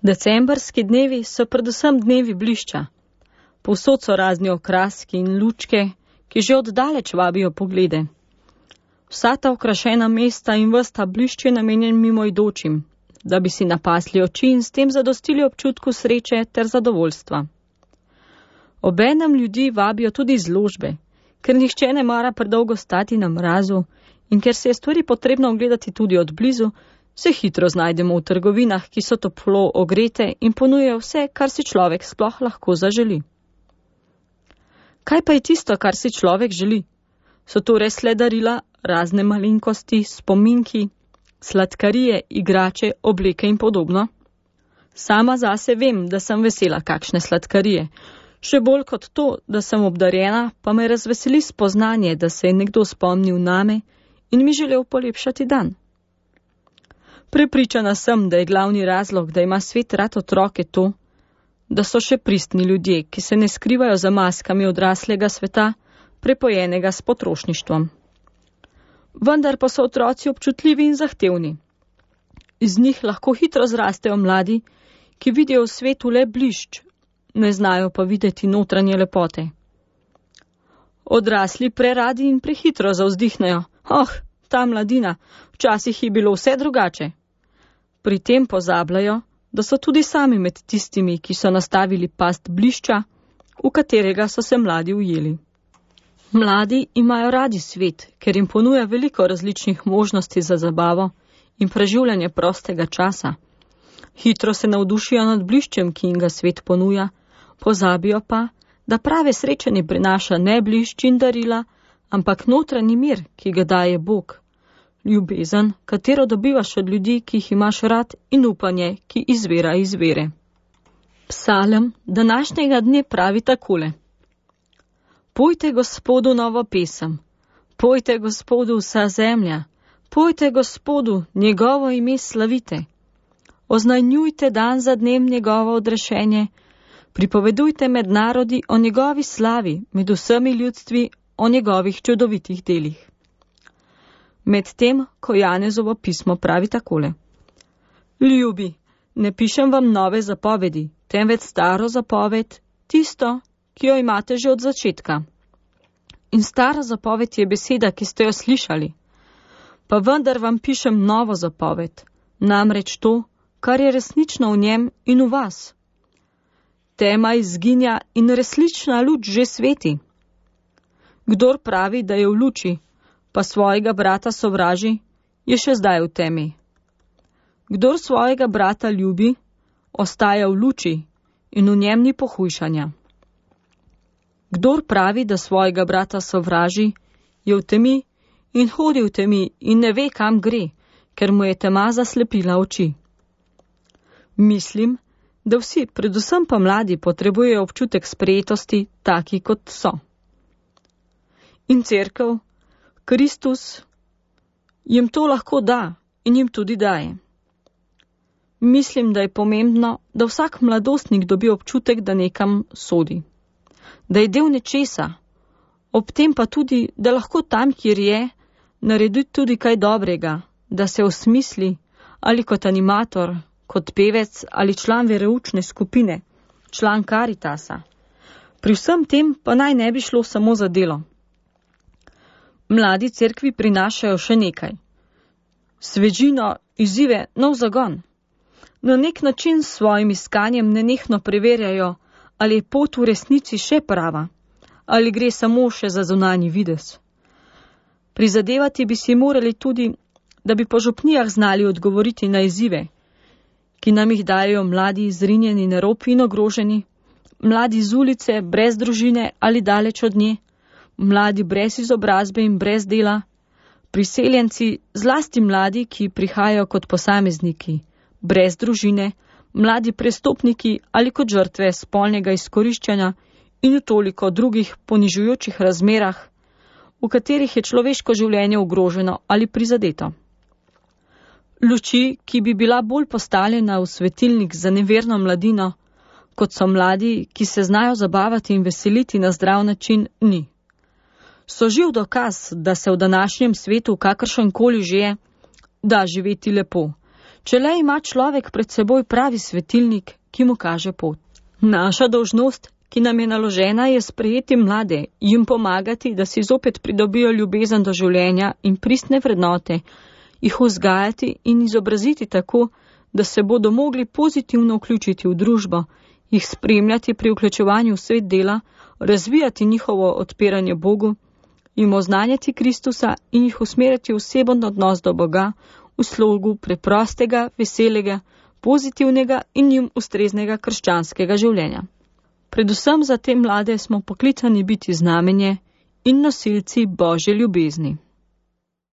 Decembrski dnevi so predvsem dnevi blišča. Povsod so razni okraski in lučke, ki že oddaleč vabijo poglede. Vsa ta okrašena mesta in ves ta blišč je namenjen mimoidočim, da bi si napasli oči in s tem zadostili občutku sreče ter zadovoljstva. Obenem ljudi vabijo tudi izložbe, ker nihče ne mara predolgo stati na mrazu in ker se je stvari potrebno ogledati tudi od blizu, se hitro znajdemo v trgovinah, ki so toplo ogrete in ponujajo vse, kar si človek sploh lahko zaželi. Kaj pa je tisto, kar si človek želi? So to res le darila, razne malenkosti, spominki, sladkarije, igrače, obleke in podobno? Sama zase vem, da sem vesela kakšne sladkarije. Še bolj kot to, da sem obdarjena, pa me razveseli spoznanje, da se je nekdo spomnil name in mi želel polepšati dan. Prepričana sem, da je glavni razlog, da ima svet rad otroke to, da so še pristni ljudje, ki se ne skrivajo za maskami odraslega sveta, prepojenega s potrošništvom. Vendar pa so otroci občutljivi in zahtevni. Iz njih lahko hitro zrastejo mladi, ki vidijo v svetu le blišč, ne znajo pa videti notranje lepote. Odrasli preradi in prehitro zavzdihnejo. Ta mladina, včasih je bilo vse drugače. Pri tem pozabljajo, da so tudi sami med tistimi, ki so nastavili past blišča, v katerega so se mladi ujeli. Mladi imajo radi svet, ker jim ponuja veliko različnih možnosti za zabavo in preživljanje prostega časa. Hitro se navdušijo nad bliščem, ki jim ga svet ponuja, pozabijo pa, da prave sreče ne prinaša ne blišč in darila, ampak notranji mir, ki ga daje Bog. Ljubezen, katero dobivaš od ljudi, ki jih imaš rad, in upanje, ki izvira iz vere. Psalem današnjega dne pravi takole. Pojte Gospodu novo pesem, pojte Gospodu vsa zemlja, pojte Gospodu njegovo ime slavite. Oznanjujte dan za dnem njegovo odrešenje, pripovedujte med narodi o njegovi slavi, med vsemi ljudstvi o njegovih čudovitih delih. Medtem, ko Janezovo pismo pravi takole. Ljubi, ne pišem vam nove zapovedi, temveč staro zapoved, tisto, ki jo imate že od začetka. In stara zapoved je beseda, ki ste jo slišali. Pa vendar vam pišem novo zapoved, namreč to, kar je resnično v njem in v vas. Tema izginja in resnična luč že sveti. Kdor pravi, da je v luči, pa svojega brata sovraži, je še zdaj v temi. Kdor svojega brata ljubi, ostaja v luči in v njem ni pohujšanja. Kdor pravi, da svojega brata sovraži, je v temi in hodi v temi in ne ve, kam gre, ker mu je tema zaslepila oči. Mislim, da vsi, predvsem pa mladi, potrebujejo občutek sprejetosti, taki kot so. In cerkev, Kristus, jim to lahko da in jim tudi daje. Mislim, da je pomembno, da vsak mladostnik dobi občutek, da nekam sodi. Da je del nečesa, ob tem pa tudi, da lahko tam, kjer je, naredi tudi kaj dobrega, da se osmisli ali kot animator, kot pevec ali član vereučne skupine, član Karitasa. Pri vsem tem pa naj ne bi šlo samo za delo. Mladi cerkvi prinašajo še nekaj. Svežino, izzive, nov zagon. Na nek način s svojim iskanjem nenehno preverjajo, ali je pot v resnici še prava, ali gre samo še za zunanji videz. Prizadevati bi si morali tudi, da bi po župnijah znali odgovoriti na izzive, ki nam jih dajo mladi zrinjeni na rob in ogroženi, mladi z ulice, brez družine ali daleč od nje, mladi brez izobrazbe in brez dela, priseljenci, zlasti mladi, ki prihajajo kot posamezniki, brez družine, mladi prestopniki ali kot žrtve spolnega izkoriščanja in v toliko drugih ponižujočih razmerah, v katerih je človeško življenje ogroženo ali prizadeto. Luči, ki bi bila bolj postavljena v svetilnik za neverno mladino, kot so mladi, ki se znajo zabavati in veseliti na zdrav način, ni. So živ dokaz, da se v današnjem svetu, kakršenkoli že je, da živeti lepo, če le ima človek pred seboj pravi svetilnik, ki mu kaže pot. Naša dolžnost, ki nam je naložena, je sprejeti mlade, jim pomagati, da si zopet pridobijo ljubezen do življenja in pristne vrednote, jih vzgajati in izobraziti tako, da se bodo mogli pozitivno vključiti v družbo, jih spremljati pri vključevanju v svet dela, razvijati njihovo odpiranje Bogu, jim oznanjati Kristusa in jih usmeriti v oseben odnos do Boga v slogu preprostega, veselega, pozitivnega in jim ustreznega krščanskega življenja. Predvsem za te mlade smo poklicani biti znamenje in nosilci Božje ljubezni.